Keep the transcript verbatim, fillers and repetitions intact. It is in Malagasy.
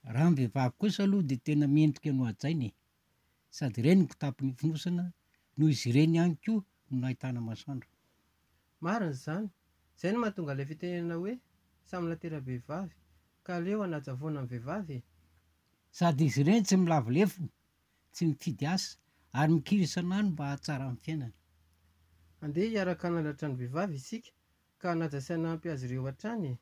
Raha ny vehivavy kosa aloha dia tena mendrika ny hohajaina e! Sady ireny no kitapo nifonosana noho izy ireny ihany koa no nahitana masoandro. Marina izany. Izay no mahatonga ilay fitenenana hoe samy natera-behivavy ka aleo hanaja foana ny vehivavy e! Sady izy ireny tsy milavo lefona, tsy mifidy asa ary mikiry isan'andro mba hahatsara ny fiainana. Andeha hiaraka hanandratra ny vehivavy isika ka hanaja sy hanampy azy ireo hatrany e!